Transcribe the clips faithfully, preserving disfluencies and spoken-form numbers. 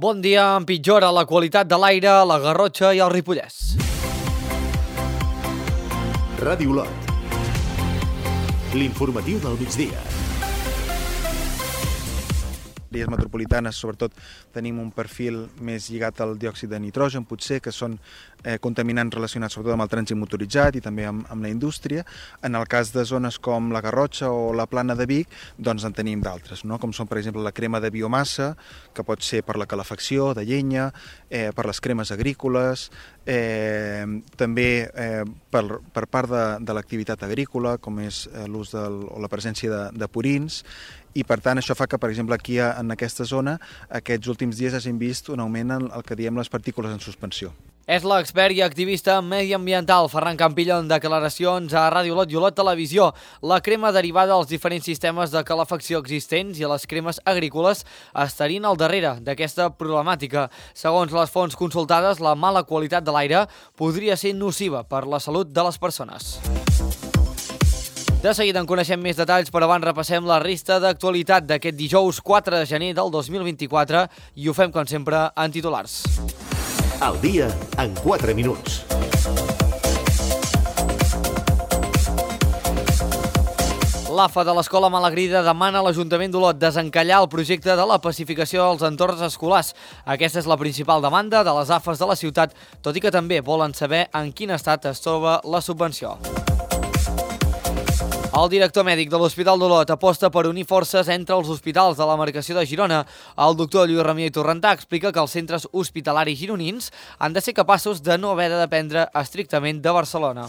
Bon dia, empitjora la qualitat de l'aire a la Garrotxa i al Ripollès. Ràdio Lot. L'informatiu del migdia. Àrees metropolitanes, sobretot, tenim un perfil més lligat al diòxid de nitrogen, potser, que són eh, contaminants relacionats sobretot amb el trànsit motoritzat i també amb, amb la indústria. En el cas de zones com la Garrotxa o la Plana de Vic, doncs en tenim d'altres, no? Com són, per exemple, la crema de biomassa, que pot ser per la calefacció de llenya, eh, per les cremes agrícoles, eh, també eh, per, per part de, de l'activitat agrícola, com és eh, l'ús del, o la presència de, de purins, i per tant això fa que, per exemple, aquí en aquesta zona aquests últims dies hagin vist un augment en el que diem les partícules en suspensió. És l'expert i activista mediambiental Ferran Campillo en declaracions a Ràdio Lot i Olot Televisió. La crema derivada dels diferents sistemes de calefacció existents i les cremes agrícoles estarien al darrere d'aquesta problemàtica. Segons les fonts consultades, la mala qualitat de l'aire podria ser nociva per la salut de les persones. De seguida en coneixem més detalls, però abans repassem la resta d'actualitat d'aquest dijous quatre de gener del dos mil vint-i-quatre i ho fem, com sempre, en titulars. Al dia, en quatre minuts. L'A F A de l'Escola Malagrida demana a l'Ajuntament d'Olot desencallar el projecte de la pacificació dels entorns escolars. Aquesta és la principal demanda de les A F As de la ciutat, tot i que també volen saber en quin estat es troba la subvenció. El director mèdic de l'Hospital d'Olot aposta per unir forces entre els hospitals de la demarcació de Girona. El doctor Lluís Ramió i Torrentà explica que els centres hospitalaris gironins han de ser capaços de no haver de dependre estrictament de Barcelona.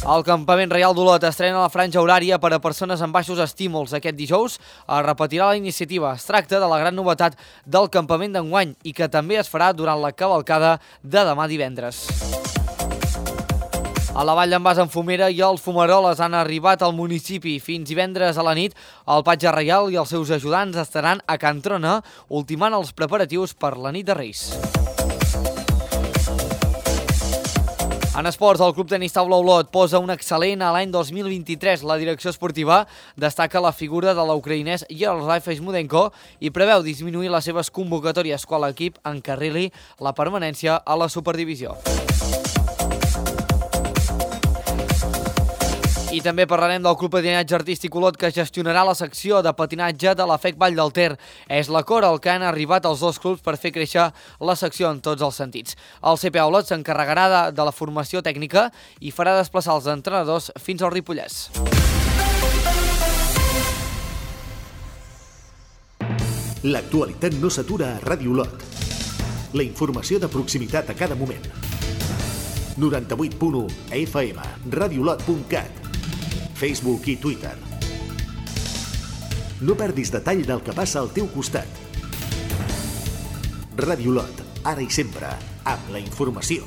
El Campament Reial d'Olot estrena la franja horària per a persones amb baixos estímuls. Aquest dijous es repetirà la iniciativa. Es tracta de la gran novetat del campament d'enguany i que també es farà durant la cavalcada de demà divendres. A la Vall d'en Bas, en Fumera i els fumaroles han arribat al municipi. Fins divendres a la nit, el Patge Reial i els seus ajudants estaran a Can Trona, ultimant els preparatius per la nit de Reis. En esports, el Club Tenis Taula Olot posa un excel·lent a l'any dos mil vint-i-tres. La direcció esportiva destaca la figura de l'ucraïnès Yaroslav Feshmudenko i preveu disminuir les seves convocatòries quan l'equip encarrili la permanència a la Superdivisió. I també parlarem del Club Patinatge Artístic Olot, que gestionarà la secció de patinatge de la F E C Vall del Ter. És l'acord al que han arribat els dos clubs per fer créixer la secció en tots els sentits. El C P A Olot s'encarregarà de, de la formació tècnica i farà desplaçar els entrenadors fins al Ripollès. L'actualitat no s'atura a Ràdio Lot. La informació de proximitat a cada moment. noranta-vuit punt u F M, radiolot punt cat, Facebook i Twitter. No perdis detall del que passa al teu costat. Ràdio Lot, ara i sempre, amb la informació.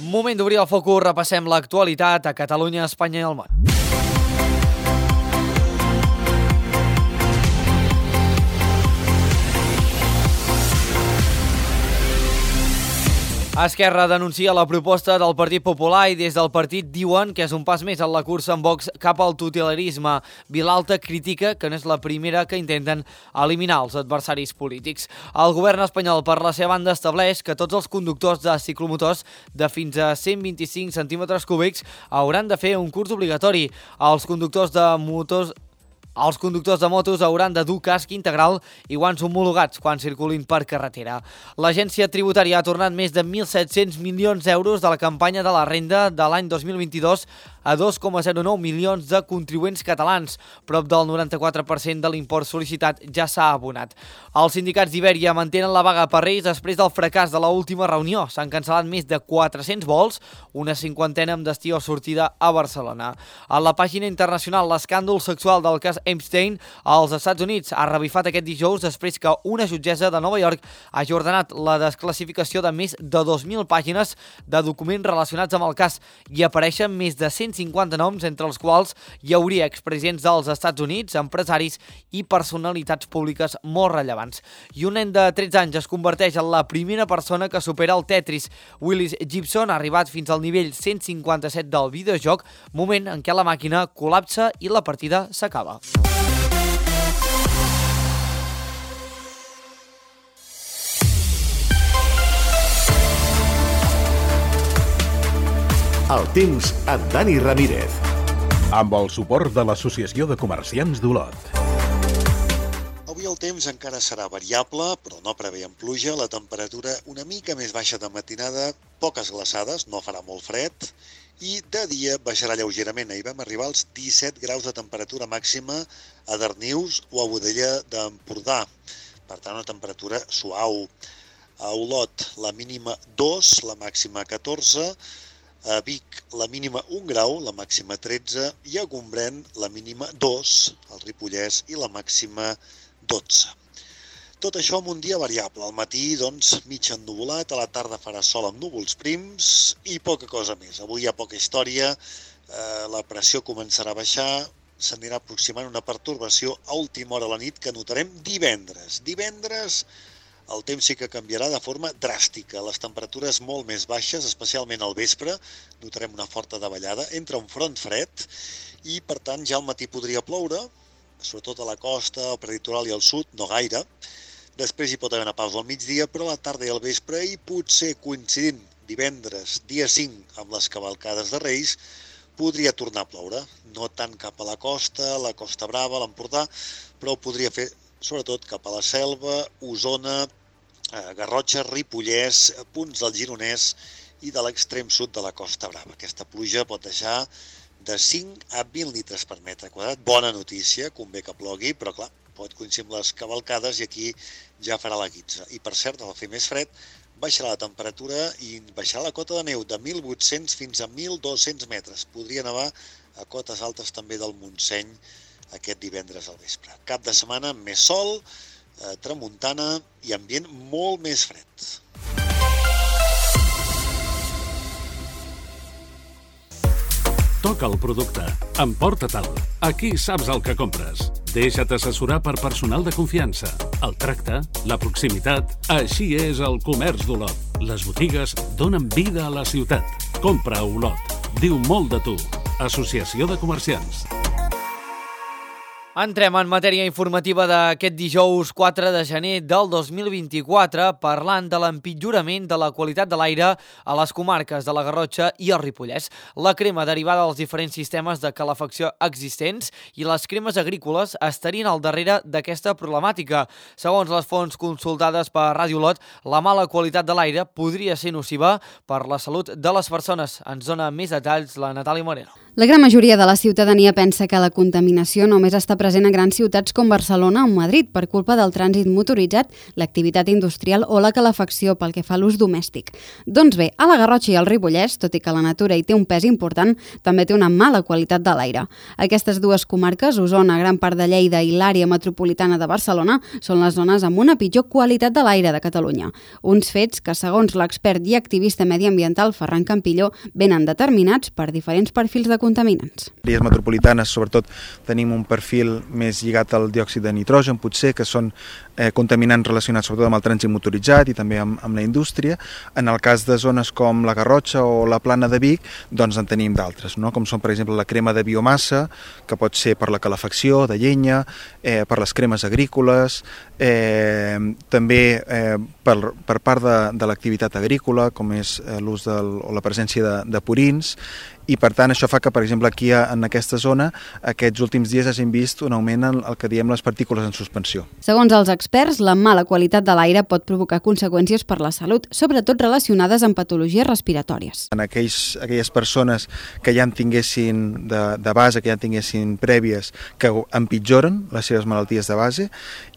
Moment d'obrir el focus, repassem l'actualitat a Catalunya, Espanya i el món. Esquerra denuncia la proposta del Partit Popular i des del partit diuen que és un pas més en la cursa amb Vox cap al totalitarisme. Vilalta critica que no és la primera que intenten eliminar els adversaris polítics. El govern espanyol, per la seva banda, estableix que tots els conductors de ciclomotors de fins a cent vint-i-cinc centímetres cúbics hauran de fer un curs obligatori. Els conductors de motors Els conductors de motos hauran de dur casc integral i guants homologats quan circulin per carretera. L'Agència Tributària ha tornat més de mil set-cents milions d'euros de la campanya de la renda de l'any dos mil vint-i-dos a dos coma zero nou milions de contribuents catalans. Prop del noranta-quatre per cent de l'import sol·licitat ja s'ha abonat. Els sindicats d'Ibèria mantenen la vaga per Reis després del fracàs de l'última reunió. S'han cancel·lat més de quatre-cents vols, una cinquantena amb destí o sortida a Barcelona. A la pàgina internacional, l'escàndol sexual del cas Epstein als Estats Units ha revifat aquest dijous després que una jutgessa de Nova York hagi ordenat la desclassificació de més de dos mil pàgines de documents relacionats amb el cas i apareixen més de cent cinquanta noms, entre els quals hi hauria expresidents dels Estats Units, empresaris i personalitats públiques molt rellevants. I un nen de tretze anys es converteix en la primera persona que supera el Tetris. Willis Gibson ha arribat fins al nivell cent cinquanta-set del videojoc, moment en què la màquina col·lapsa i la partida s'acaba. El temps amb Dani Ramírez. Amb el suport de l'Associació de Comerciants d'Olot. Avui el temps encara serà variable, però no preveiem pluja, la temperatura una mica més baixa de matinada, poques glaçades, no farà molt fred, i de dia baixarà lleugerament. Ahir vam arribar als disset graus de temperatura màxima a Darnius o a Boadella d'Empordà. Per tant, una temperatura suau. A Olot, la mínima dos, la màxima catorze, a Vic, la mínima un grau, la màxima tretze, i a Gombrèn, la mínima dos, al Ripollès, i la màxima dotze. Tot això amb un dia variable. Al matí, doncs, mig ennuvolat, a la tarda farà sol amb núvols prims i poca cosa més. Avui hi ha poca història, eh, la pressió començarà a baixar, s'anirà aproximant una pertorbació a última hora a la nit que notarem divendres. Divendres el temps sí que canviarà de forma dràstica. Les temperatures molt més baixes, especialment al vespre, notarem una forta davallada, entra un front fred i, per tant, ja al matí podria ploure, sobretot a la costa, al prelitoral i al sud, no gaire. Després hi pot haver una pausa al migdia, però a la tarda i al vespre, i potser coincidint divendres, dia cinc, amb les cavalcades de Reis, podria tornar a ploure. No tant cap a la costa, la Costa Brava, l'Empordà, però ho podria fer sobretot cap a la Selva, Osona, Garrotxa, Ripollès, punts del Gironès i de l'extrem sud de la Costa Brava. Aquesta pluja pot deixar de cinc a vint litres per metre quadrat. Bona notícia, convé que plogui, però clar, pot coincidir amb les cavalcades i aquí ja farà la guitza. I per cert, al fer més fred, baixarà la temperatura i baixarà la cota de neu de mil vuit-cents fins a mil dos-cents metres. Podria nevar a cotes altes també del Montseny aquest divendres al vespre. Cap de setmana amb més sol, eh, tramuntana i ambient molt més fred. Toca el producte, emporta-te'l. Aquí saps el que compres. Deixa't assessorar per personal de confiança. El tracte, la proximitat, així és el comerç d'Olot. Les botigues donen vida a la ciutat. Compra a Olot. Diu molt de tu. Associació de Comerciants. Entrem en matèria informativa d'aquest dijous quatre de gener del dos mil vint-i-quatre parlant de l'empitjorament de la qualitat de l'aire a les comarques de la Garrotxa i el Ripollès. La crema derivada dels diferents sistemes de calefacció existents i les cremes agrícoles estarien al darrere d'aquesta problemàtica. Segons les fonts consultades per Ràdio Olot, la mala qualitat de l'aire podria ser nociva per la salut de les persones. Ens dona més detalls la Natàlia Moreno. La gran majoria de la ciutadania pensa que la contaminació només està present a grans ciutats com Barcelona o Madrid per culpa del trànsit motoritzat, l'activitat industrial o la calefacció pel que fa a l'ús domèstic. Doncs bé, a la Garrotxa i al Ripollès, tot i que la natura hi té un pes important, també té una mala qualitat de l'aire. Aquestes dues comarques, Osona, gran part de Lleida i l'àrea metropolitana de Barcelona, són les zones amb una pitjor qualitat de l'aire de Catalunya. Uns fets que, segons l'expert i activista mediambiental Ferran Campilló, venen determinats per diferents perfils de contaminants. A àrees metropolitanes, sobretot, tenim un perfil més lligat al diòxid de nitrogen, potser, que són eh, contaminants relacionats sobretot amb el trànsit motoritzat i també amb, amb la indústria. En el cas de zones com la Garrotxa o la Plana de Vic, doncs en tenim d'altres, no? Com són, per exemple, la crema de biomassa, que pot ser per la calefacció de llenya, eh, per les cremes agrícoles, eh, també eh, per, per part de, de l'activitat agrícola, com és eh, l'ús del, o la presència de, de purins, i per tant això fa que, per exemple, aquí en aquesta zona aquests últims dies hagin vist un augment en el que diem les partícules en suspensió. Segons els experts, la mala qualitat de l'aire pot provocar conseqüències per la salut, sobretot relacionades amb patologies respiratòries. En aquells, aquelles persones que ja en tinguessin de, de base, que ja en tinguessin prèvies, que empitjoren les seves malalties de base,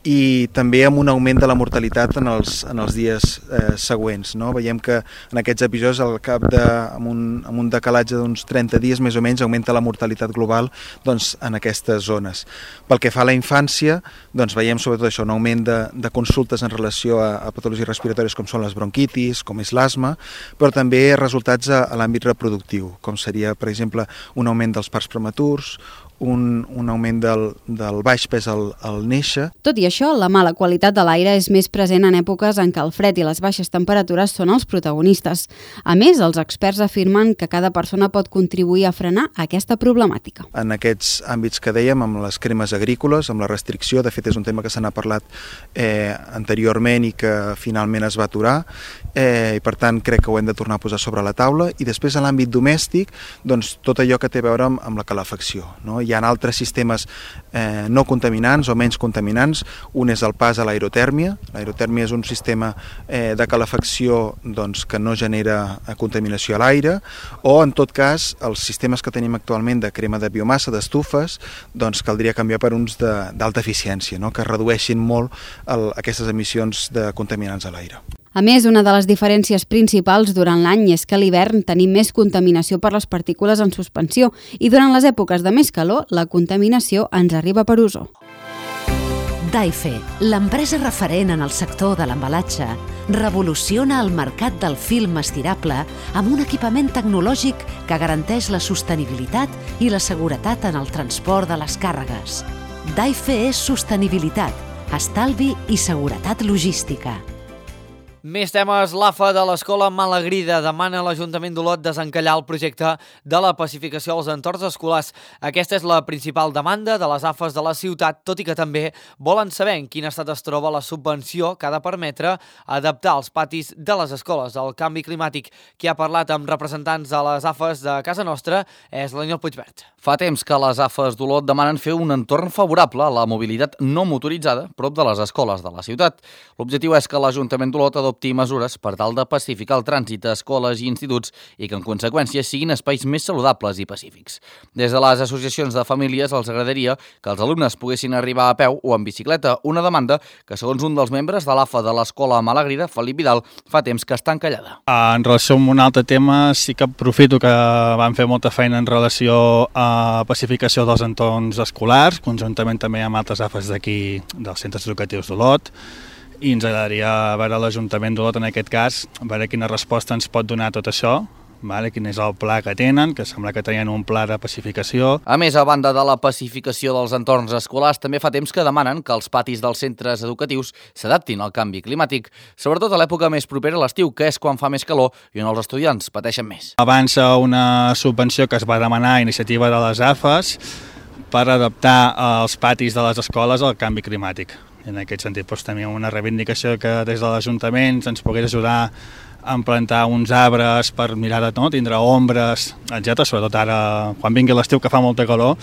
i també amb un augment de la mortalitat en els, en els dies eh, següents, no? Veiem que en aquests episodis, al cap de, amb, un, amb un decalatge d'uns trenta dies més o menys, augmenta la mortalitat global doncs, en aquestes zones. Pel que fa a la infància, doncs, veiem sobretot això, un augment de, de consultes en relació a, a patologies respiratòries com són les bronquitis, com és l'asma, però també resultats a, a l'àmbit reproductiu, com seria, per exemple, un augment dels parts prematurs un, un augment del, del baix pes al, al néixer. Tot i això, la mala qualitat de l'aire és més present en èpoques en què el fred i les baixes temperatures són els protagonistes. A més, els experts afirmen que cada persona pot contribuir a frenar aquesta problemàtica. En aquests àmbits que dèiem, amb les cremes agrícoles, amb la restricció, de fet és un tema que se n'ha parlat eh, anteriorment i que finalment es va aturar, eh, i per tant crec que ho hem de tornar a posar sobre la taula. I després en l'àmbit domèstic, doncs tot allò que té a veure amb, amb la calefacció, no? Hi ha altres sistemes eh, no contaminants o menys contaminants. Un és el pas a l'aerotèrmia. L'aerotèrmia és un sistema eh, de calefacció doncs, que no genera contaminació a l'aire, o en tot cas els sistemes que tenim actualment de crema de biomassa, d'estufes, doncs caldria canviar per uns d'alta eficiència, no? Que redueixin molt el, aquestes emissions de contaminants a l'aire. A més, una de les diferències principals durant l'any és que a l'hivern tenim més contaminació per les partícules en suspensió i durant les èpoques de més calor la contaminació ens arriba per ozó. Daife, l'empresa referent en el sector de l'embalatge, revoluciona el mercat del film estirable amb un equipament tecnològic que garanteix la sostenibilitat i la seguretat en el transport de les càrregues. Daife és sostenibilitat, estalvi i seguretat logística. Més temes. L'A F A de l'Escola Malagrida demana a l'Ajuntament d'Olot desencallar el projecte de la pacificació als entorns escolars. Aquesta és la principal demanda de les A F As de la ciutat, tot i que també volen saber en quin estat es troba la subvenció que ha de permetre adaptar els patis de les escoles al canvi climàtic. Qui ha parlat amb representants de les A F As de casa nostra és l'Aniol Puigvert. Fa temps que les A F As d'Olot demanen fer un entorn favorable a la mobilitat no motoritzada prop de les escoles de la ciutat. L'objectiu és que l'Ajuntament d'Olot adopti mesures per tal de pacificar el trànsit a escoles i instituts i que, en conseqüència, siguin espais més saludables i pacífics. Des de les associacions de famílies els agradaria que els alumnes poguessin arribar a peu o en bicicleta, una demanda que, segons un dels membres de l'A F A de l'Escola Malagrida, Felip Vidal, fa temps que està encallada. En relació amb un altre tema, sí que aprofito que vam fer molta feina en relació a pacificació dels entorns escolars, conjuntament també amb altres A F As d'aquí, dels centres educatius d'Olot, i ens agradaria veure l'Ajuntament d'Olot en aquest cas, veure quina resposta ens pot donar tot això, vale? Quin és el pla que tenen, que sembla que tenien un pla de pacificació. A més, a banda de la pacificació dels entorns escolars, també fa temps que demanen que els patis dels centres educatius s'adaptin al canvi climàtic, sobretot a l'època més propera a l'estiu, que és quan fa més calor i on els estudiants pateixen més. Avança una subvenció que es va demanar a iniciativa de les A F As per adaptar els patis de les escoles al canvi climàtic. En aquest sentit, doncs, teníem una reivindicació que des de l'Ajuntament ens pogués ajudar a plantar uns arbres per mirar de no, tindre ombres, etcètera. Sobretot ara, quan vingui l'estiu, que fa molta calor,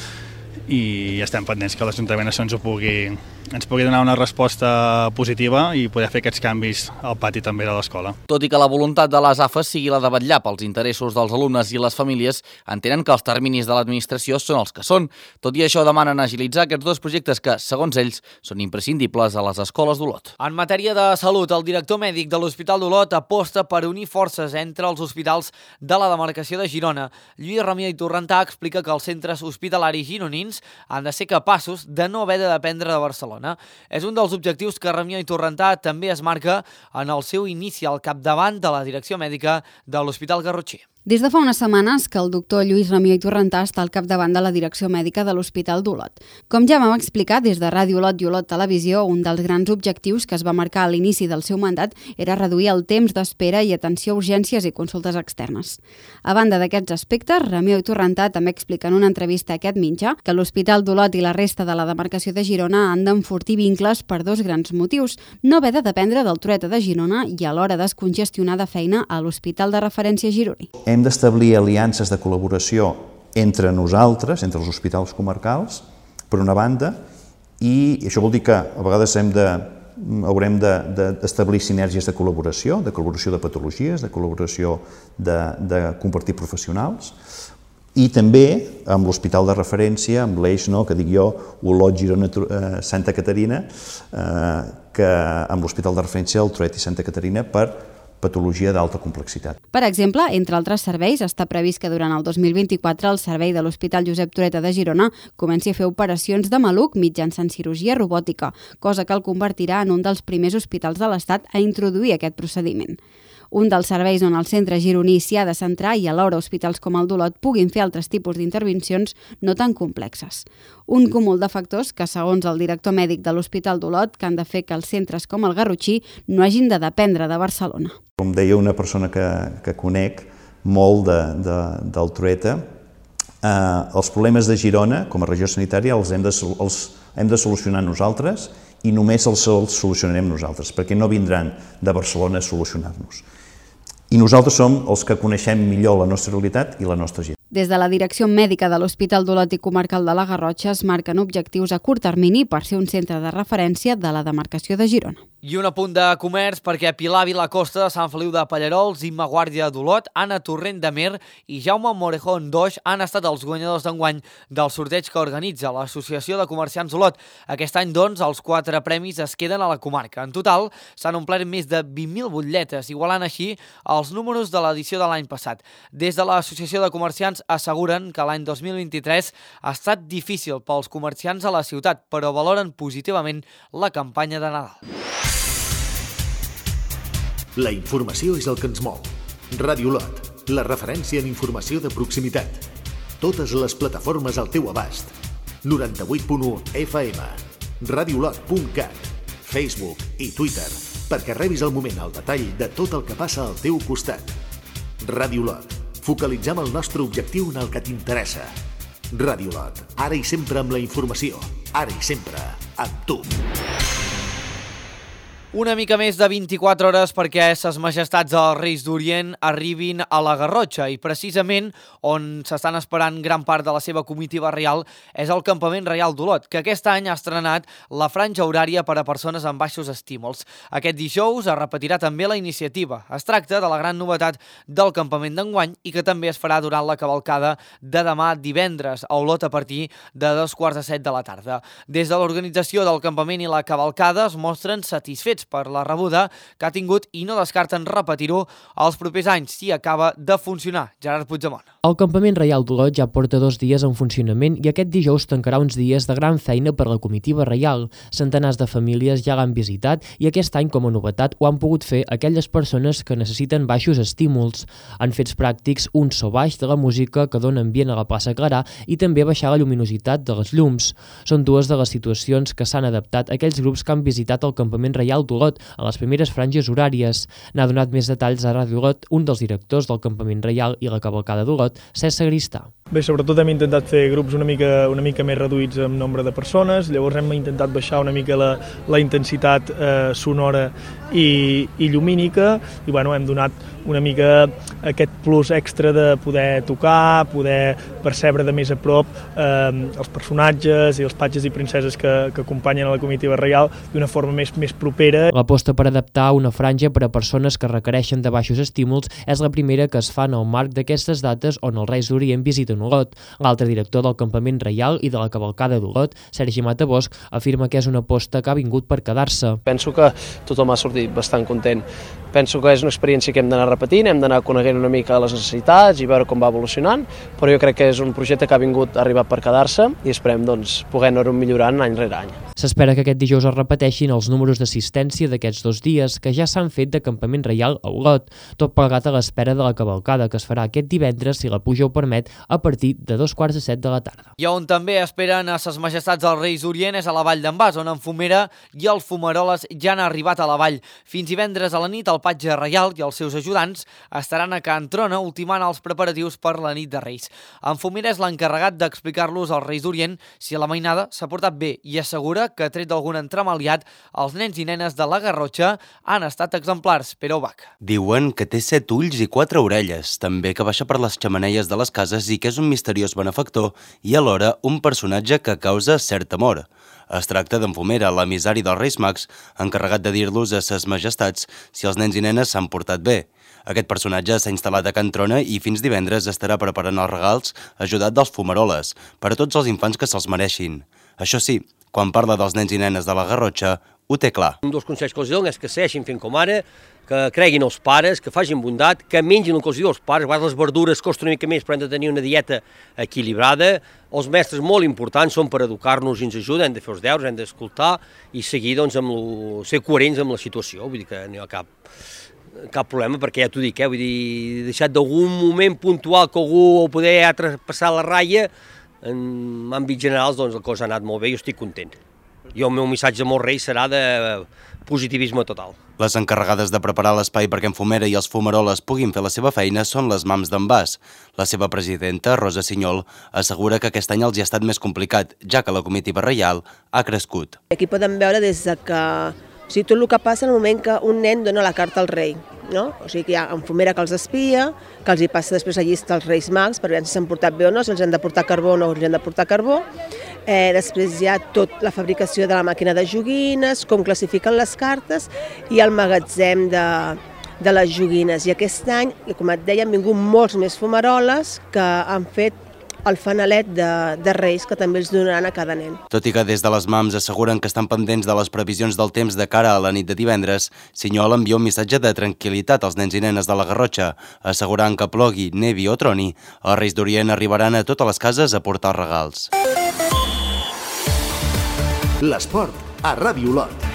i estem pendents que l'Ajuntament això ens ho pugui, ens pugui donar una resposta positiva i poder fer aquests canvis al pati també de l'escola. Tot i que la voluntat de les A F As sigui la de vetllar pels interessos dels alumnes i les famílies, entenen que els terminis de l'administració són els que són. Tot i això, demanen agilitzar aquests dos projectes que, segons ells, són imprescindibles a les escoles d'Olot. En matèria de salut, el director mèdic de l'Hospital d'Olot aposta per unir forces entre els hospitals de la demarcació de Girona. Lluís Ramió i Torrentà explica que els centres hospitalaris gironins han de ser capaços de no haver de dependre de Barcelona. És un dels objectius que Ramió i Torrentà també es marca en el seu inici al capdavant de la direcció mèdica de l'Hospital Garrotxí. Des de fa unes setmanes que el doctor Lluís Ramió i Torrentà està al capdavant de la direcció mèdica de l'Hospital d'Olot. Com ja vam explicar des de Ràdio Olot i Olot Televisió, un dels grans objectius que es va marcar a l'inici del seu mandat era reduir el temps d'espera i atenció a urgències i consultes externes. A banda d'aquests aspectes, Ramió i Torrentà també explica en una entrevista a aquest mitjà que l'Hospital d'Olot i la resta de la demarcació de Girona han d'enfortir vincles per dos grans motius: no haver de dependre del Trueta de Girona i alhora descongestionar de feina a l'Hospital de Referència gironí. Hem d'establir aliances de col·laboració entre nosaltres, entre els hospitals comarcals, per una banda, i això vol dir que a vegades hem de, haurem d'establir de, sinergies de col·laboració, de col·laboració de patologies, de col·laboració de, de compartir professionals, i també amb l'hospital de referència, amb l'eix, no, que dic jo, Olot, Girona, eh, Santa Caterina, eh, que amb l'hospital de referència el Trueta i Santa Caterina per patologia d'alta complexitat. Per exemple, entre altres serveis, està previst que durant el dos mil vint-i-quatre el servei de l'Hospital Josep Trueta de Girona comenci a fer operacions de maluc mitjançant cirurgia robòtica, cosa que el convertirà en un dels primers hospitals de l'Estat a introduir aquest procediment. un dels serveis on el centre gironí s'hi ha de centrar i alhora hospitals com el d'Olot puguin fer altres tipus d'intervencions no tan complexes. Un cúmul de factors que, segons el director mèdic de l'Hospital d'Olot, que han de fer que els centres com el Garrotxí no hagin de dependre de Barcelona. Com deia una persona que, que conec molt de, de, del Trueta, eh, els problemes de Girona, com a regió sanitària, els hem de, els hem de solucionar nosaltres i només els, els solucionarem nosaltres, perquè no vindran de Barcelona a solucionar-nos. I nosaltres som els que coneixem millor la nostra realitat i la nostra gent. Des de la direcció mèdica de l'Hospital d'Olot i Comarcal de la Garrotxa es marquen objectius a curt termini per ser un centre de referència de la demarcació de Girona. I un apunt de comerç perquè Pilar Vilacosta de Sant Feliu de Pallarols, Imma Guàrdia d'Olot, Anna Torrent de Mer i Jaume Morejón d'Oix han estat els guanyadors d'enguany del sorteig que organitza l'Associació de Comerciants d'Olot. Aquest any, doncs, els quatre premis es queden a la comarca. En total, s'han omplert més de vint mil butlletes, igualant així els números de l'edició de l'any passat. Des de l'Associació de Comerciants asseguren que l'any dos mil vint-i-tres ha estat difícil pels comerciants a la ciutat, però valoren positivament la campanya de Nadal. La informació és el que ens mou. Ràdio Olot, la referència en informació de proximitat. Totes les plataformes al teu abast. noranta-vuit punt u F M, radiolot punt cat, Facebook i Twitter, perquè rebis al moment el detall de tot el que passa al teu costat. Ràdio Olot, focalitzem el nostre objectiu en el que t'interessa. Ràdio Olot, ara i sempre amb la informació, ara i sempre amb tu. Una mica més de vint-i-quatre hores perquè ses majestats dels Reis d'Orient arribin a la Garrotxa i precisament on s'estan esperant gran part de la seva comitiva reial és el Campament Reial d'Olot, que aquest any ha estrenat la franja horària per a persones amb baixos estímuls. Aquest dijous es repetirà també la iniciativa. Es tracta de la gran novetat del campament d'enguany i que també es farà durant la cavalcada de demà divendres a Olot a partir de dos quarts de set de la tarda. Des de l'organització del campament i la cavalcada es mostren satisfets per la rebuda que ha tingut i no descarten repetir-ho els propers anys si acaba de funcionar. Gerard Puigdemont. El Campament Reial d'Olot ja porta dos dies en funcionament i aquest dijous tancarà uns dies de gran feina per la comitiva reial. Centenars de famílies ja l'han visitat i aquest any, com a novetat, ho han pogut fer aquelles persones que necessiten baixos estímuls. En fets pràctics, un so baix de la música que dona ambient a la plaça Clarà i també baixar la lluminositat de les llums. Són dues de les situacions que s'han adaptat a aquells grups que han visitat el Campament Reial d'Olot a les primeres franges horàries. N'ha donat més detalls a Ràdio Olot un dels directors del Campament Reial i la cavalcada d'Olot, Cesc Sagristà. Bé, sobretot hem intentat fer grups una mica, una mica més reduïts en nombre de persones, llavors hem intentat baixar una mica la, la intensitat eh, sonora i, i llumínica i bueno, hem donat una mica aquest plus extra de poder tocar, poder percebre de més a prop eh, els personatges i els patges i princeses que, que acompanyen a la comitiva reial d'una forma més, més propera. L'aposta per adaptar una franja per a persones que requereixen de baixos estímuls és la primera que es fa en el marc d'aquestes dates on els Reis d'Orient visiten Olot. L'altre director del Campament Reial i de la cavalcada d'Olot, Sergi Matabosch, afirma que és una aposta que ha vingut per quedar-se. Penso que tothom ha sortit bastant content. Penso que és una experiència que hem d'anar repetint, hem d'anar coneguent una mica les necessitats i veure com va evolucionant, però jo crec que és un projecte que ha vingut a arribar per quedar-se i esperem doncs, poder anar-ho millorant any rere any. S'espera que aquest dijous es repeteixin els números d'assistència d'aquests dos dies que ja s'han fet de Campament Reial a Olot, tot plegat a l'espera de la cavalcada que es farà aquest divendres, si la puja ho permet, a partir de dos quarts de set de la tarda. I on també esperen a ses majestats dels Reis d'Orient és a la Vall d'en Bas, on en Fumera i el Fumaroles ja han arribat a la vall. Fins divendres a la nit, el patge reial i els seus ajudants estaran a Can Trona ultimant els preparatius per la nit de Reis. En Fumera és l'encarregat d'explicar-los als Reis d'Orient si la mainada s'ha portat bé i assegura que, tret d'algun entremaliat, els nens i nenes de la Garrotxa han estat exemplars. Pere Ubach. Diuen que té set ulls i quatre orelles, també que baixa per les xemeneies de les cases i que és un misteriós benefactor i alhora un personatge que causa cert temor. Es tracta d'en Fumera, l'emissari dels Reis Mags, encarregat de dir-los a ses majestats si els nens i nenes s'han portat bé. Aquest personatge s'ha instal·lat a Can Trona i fins divendres estarà preparant els regals ajudat dels fumaroles per a tots els infants que se'ls mereixin. Això sí, quan parla dels nens i nenes de la Garrotxa, ho té clar. Un dels consells que els dono és que segueixin fent com ara, que creguin els pares, que facin bondat, que mengin el que els diu els pares, a vegades les verdures costen una mica més, però hem de tenir una dieta equilibrada. Els mestres molt importants són per educar-nos i ens ajuden, hem de fer els deures, hem d'escoltar i seguir, doncs, amb lo, ser coherents amb la situació, vull dir que no hi ha cap... cap problema, perquè ja t'ho dic, eh? Vull dir, deixat d'algun moment puntual que algú ho poder ha traspassat la ratlla, en àmbits generals doncs la cosa ha anat molt bé i jo estic content. Jo el meu missatge amb els Reis serà de positivisme total. Les encarregades de preparar l'espai perquè en Fumera i els fumaroles puguin fer la seva feina són les mams d'en Bas. La seva presidenta, Rosa Sinyol, assegura que aquest any els hi ha estat més complicat, ja que la comitiva reial ha crescut. Aquí podem veure des de que, o sigui, tot el que passa en el moment que un nen dona la carta al rei, no? O sigui que hi ha en Fumera que els espia, que els hi passa després la llista als Reis Mags per veure si s'han portat bé o no, si els han de portar carbó o no els han de portar carbó. Eh, després hi ha tot la fabricació de la màquina de joguines, com classifiquen les cartes i el magatzem de, de les joguines. I aquest any, com et deia, han vingut molts més fumaroles que han fet el fanalet de, de Reis, que també els donaran a cada nen. Tot i que des de les mams asseguren que estan pendents de les previsions del temps de cara a la nit de divendres, Sinyol envia un missatge de tranquil·litat als nens i nenes de la Garrotxa, assegurant que plogui, nevi o troni, els Reis d'Orient arribaran a totes les cases a portar regals. L'esport a Ràdio Olot.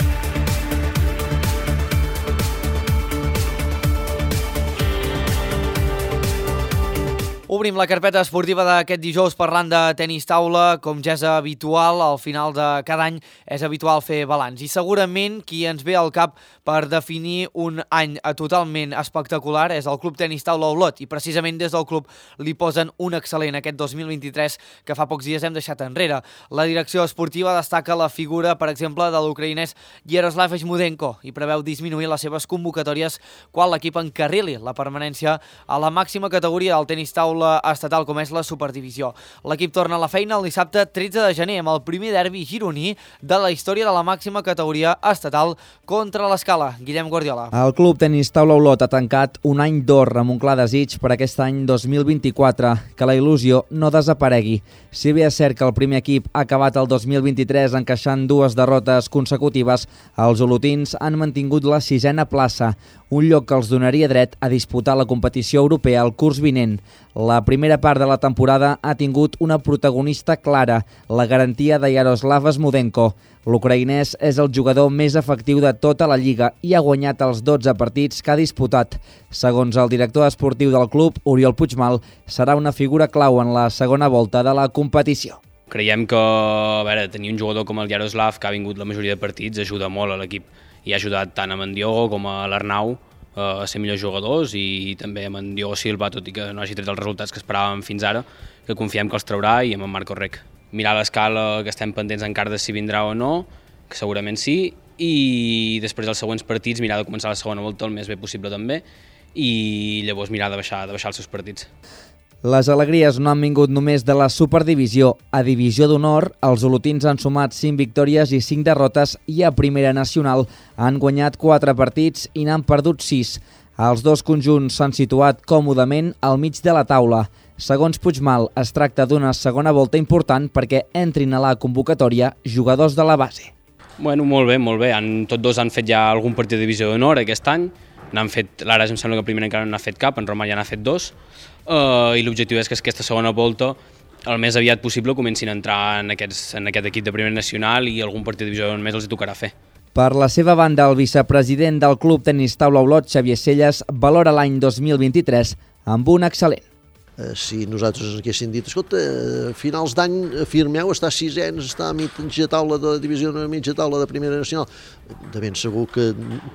Obrim la carpeta esportiva d'aquest dijous parlant de tenis taula. Com ja és habitual, al final de cada any és habitual fer balanç. I segurament qui ens ve al cap per definir un any totalment espectacular és el Club Tenis Taula Olot. I precisament des del club li posen un excel·lent aquest dos mil vint-i-tres que fa pocs dies hem deixat enrere. La direcció esportiva destaca la figura, per exemple, de l'ucraïnès Yaroslav Eshmudenko i preveu disminuir les seves convocatòries quan l'equip encarrili la permanència a la màxima categoria del tenis taula estatal com és la Superdivisió. L'equip torna a la feina el dissabte tretze de gener amb el primer derbi gironí de la història de la màxima categoria estatal contra l'Escala. Guillem Guardiola. El Club Tenis Taula Olot ha tancat un any d'or amb un clar desig per aquest any dos mil vint-i-quatre, que la il·lusió no desaparegui. Si bé és cert que el primer equip ha acabat el dos mil vint-i-tres encaixant dues derrotes consecutives, els olotins han mantingut la sisena plaça, un lloc que els donaria dret a disputar la competició europea el curs vinent. La primera part de la temporada ha tingut una protagonista clara, la garantia de Yaroslav Eshmudenko. L'ucraïnès és el jugador més efectiu de tota la lliga i ha guanyat els dotze partits que ha disputat. Segons el director esportiu del club, Oriol Puigmal, serà una figura clau en la segona volta de la competició. Creiem que a veure, tenir un jugador com el Yaroslav, que ha vingut la majoria de partits, ajuda molt a l'equip. I ha ajudat tant a en Diogo com a l'Arnau a ser millors jugadors i també amb en Diogo Silva, tot i que no hagi tret els resultats que esperàvem fins ara, que confiem que els traurà, i amb en Marco Rec. Mirar l'escala, que estem pendents encara de si vindrà o no, que segurament sí, i després dels següents partits mirar de començar la segona volta el més bé possible també, i llavors mirar de baixar, de baixar els seus partits. Les alegries no han vingut només de la Superdivisió. A Divisió d'Honor, els olotins han sumat cinc victòries i cinc derrotes i a Primera Nacional han guanyat quatre partits i n'han perdut sis. Els dos conjunts s'han situat còmodament al mig de la taula. Segons Puigmal, es tracta d'una segona volta important perquè entrin a la convocatòria jugadors de la base. Bueno, molt bé, molt bé. Han, tots dos han fet ja algun partit de Divisió d'Honor aquest any. N'han fet, l'Ares em sembla que primer encara n'ha fet cap, en Roma ja n'ha fet dos. Uh, I l'objectiu és que aquesta segona volta el més aviat possible comencin a entrar en, aquests, en aquest equip de Primera Nacional i algun partit de divisió més els hi tocarà fer. Per la seva banda, el vicepresident del Club Tenis Taula Olot, Xavier Celles, valora l'any dos mil vint-i-tres amb un excel·lent. Si nosaltres ens haguessin dit, escolta, a finals d'any firmeu, està sisens, està a mitja taula de divisió, a mitja taula de Primera Nacional, de ben segur que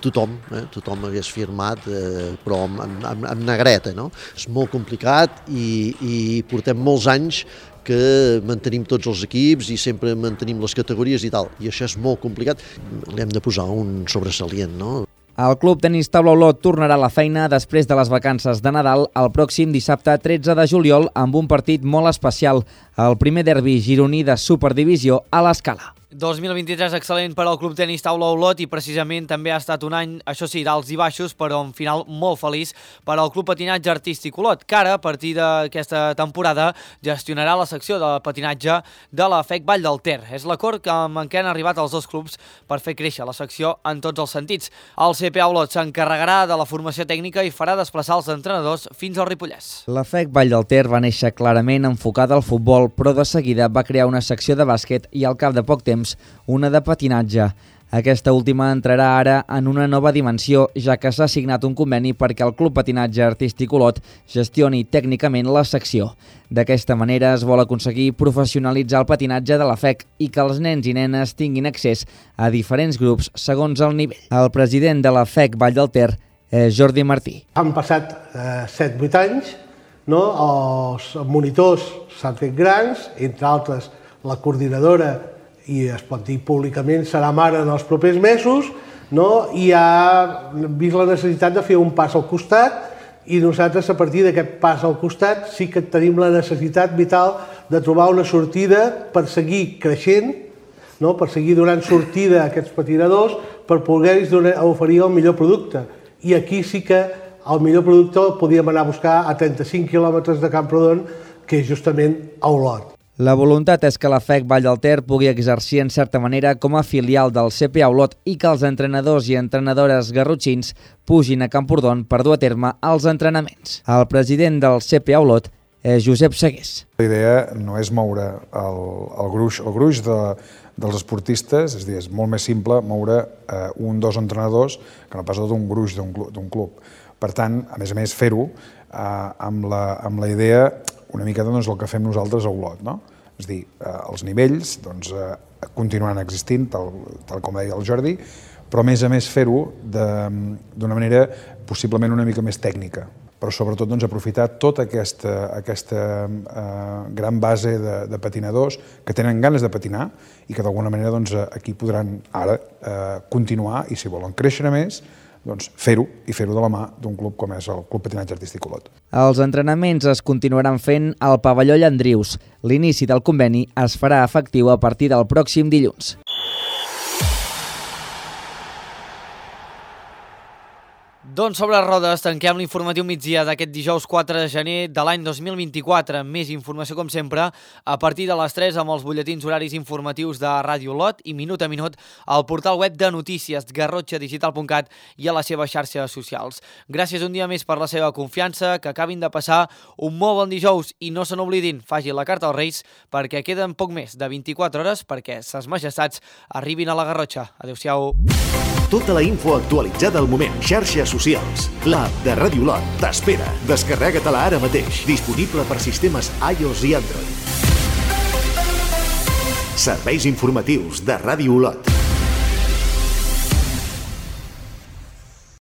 tothom, eh, tothom hagués firmat, eh, però amb, amb, amb negreta, no? És molt complicat i, i portem molts anys que mantenim tots els equips i sempre mantenim les categories i tal, i això és molt complicat, li hem de posar un sobresalient, no? El Club Tenis Taula Olot tornarà a la feina després de les vacances de Nadal el pròxim dissabte tretze de juliol amb un partit molt especial, el primer derbi gironí de Superdivisió a l'Escala. dos mil vint-i-tres excel·lent per al Club Tenis Taula Olot i precisament també ha estat un any, això sí, d'alts i baixos, però un final molt feliç per al Club Patinatge Artístic Olot, que ara, a partir d'aquesta temporada, gestionarà la secció de patinatge de la F E C Vall del Ter. És l'acord amb què han arribat els dos clubs per fer créixer la secció en tots els sentits. El C P A Olot s'encarregarà de la formació tècnica i farà desplaçar els entrenadors fins al Ripollès. La F E C Vall del Ter va néixer clarament enfocada al futbol, però de seguida va crear una secció de bàsquet i al cap de poc temps una de patinatge. Aquesta última entrarà ara en una nova dimensió, ja que s'ha signat un conveni perquè el Club Patinatge Artístic Olot gestioni tècnicament la secció. D'aquesta manera es vol aconseguir professionalitzar el patinatge de la F E C i que els nens i nenes tinguin accés a diferents grups segons el nivell. El president de la F E C Vall del Ter és Jordi Martí. Han passat eh, set vuit anys, no? Els monitors s'han fet grans, entre altres la coordinadora, i es pot dir públicament, serà mare en els propers mesos, no? I ha vist la necessitat de fer un pas al costat i nosaltres, a partir d'aquest pas al costat, sí que tenim la necessitat vital de trobar una sortida per seguir creixent, no? Per seguir donant sortida a aquests patinadors, per poder-los oferir el millor producte. I aquí sí que el millor producte el podíem anar a buscar a trenta-cinc quilòmetres de Camprodon, que és justament a Olot. La voluntat és que la F E C Vall del Ter pugui exercir en certa manera com a filial del C P A Olot i que els entrenadors i entrenadores garrotxins pugin a Camprodon per dur a terme els entrenaments. El president del C P A Olot és Josep Segués. La idea no és moure el, el gruix, el gruix de, dels esportistes, és a dir, és molt més simple moure eh, un o dos entrenadors que no pas tot un gruix d'un club. Per tant, a més a més, fer-ho eh, amb, la, amb la idea una mica doncs, el que fem nosaltres a Olot, no? És a dir, eh, els nivells doncs, eh, continuaran existint, tal, tal com deia el Jordi, però a més a més fer-ho d'una manera possiblement una mica més tècnica, però sobretot doncs, aprofitar tota aquesta, aquesta eh, gran base de, de patinadors que tenen ganes de patinar i que d'alguna manera doncs, aquí podran ara eh, continuar i si volen créixer més, doncs fer-ho i fer-ho de la mà d'un club com és el Club Patinatge Artístic Olot. Els entrenaments es continuaran fent al pavelló Llandrius. L'inici del conveni es farà efectiu a partir del pròxim dilluns. Doncs sobre rodes tanquem l'informatiu migdia d'aquest dijous quatre de gener de l'any dos mil vint-i-quatre. Més informació, com sempre, a partir de les tres amb els butlletins horaris informatius de Ràdio Olot i minut a minut al portal web de notícies garrotxa digital punt cat i a les seves xarxes socials. Gràcies un dia més per la seva confiança, que acabin de passar un molt bon dijous i no se n'oblidin, facin la carta als Reis perquè queden poc més de vint-i-quatre hores perquè ses majestats arribin a la Garrotxa. Adéu-siau. Tota la info actualitzada al moment. Xarxes socials. L'app de Ràdio Olot t'espera. Descarrega-te-la ara mateix. Disponible per sistemes iOS i Android. Serveis informatius de Ràdio Olot.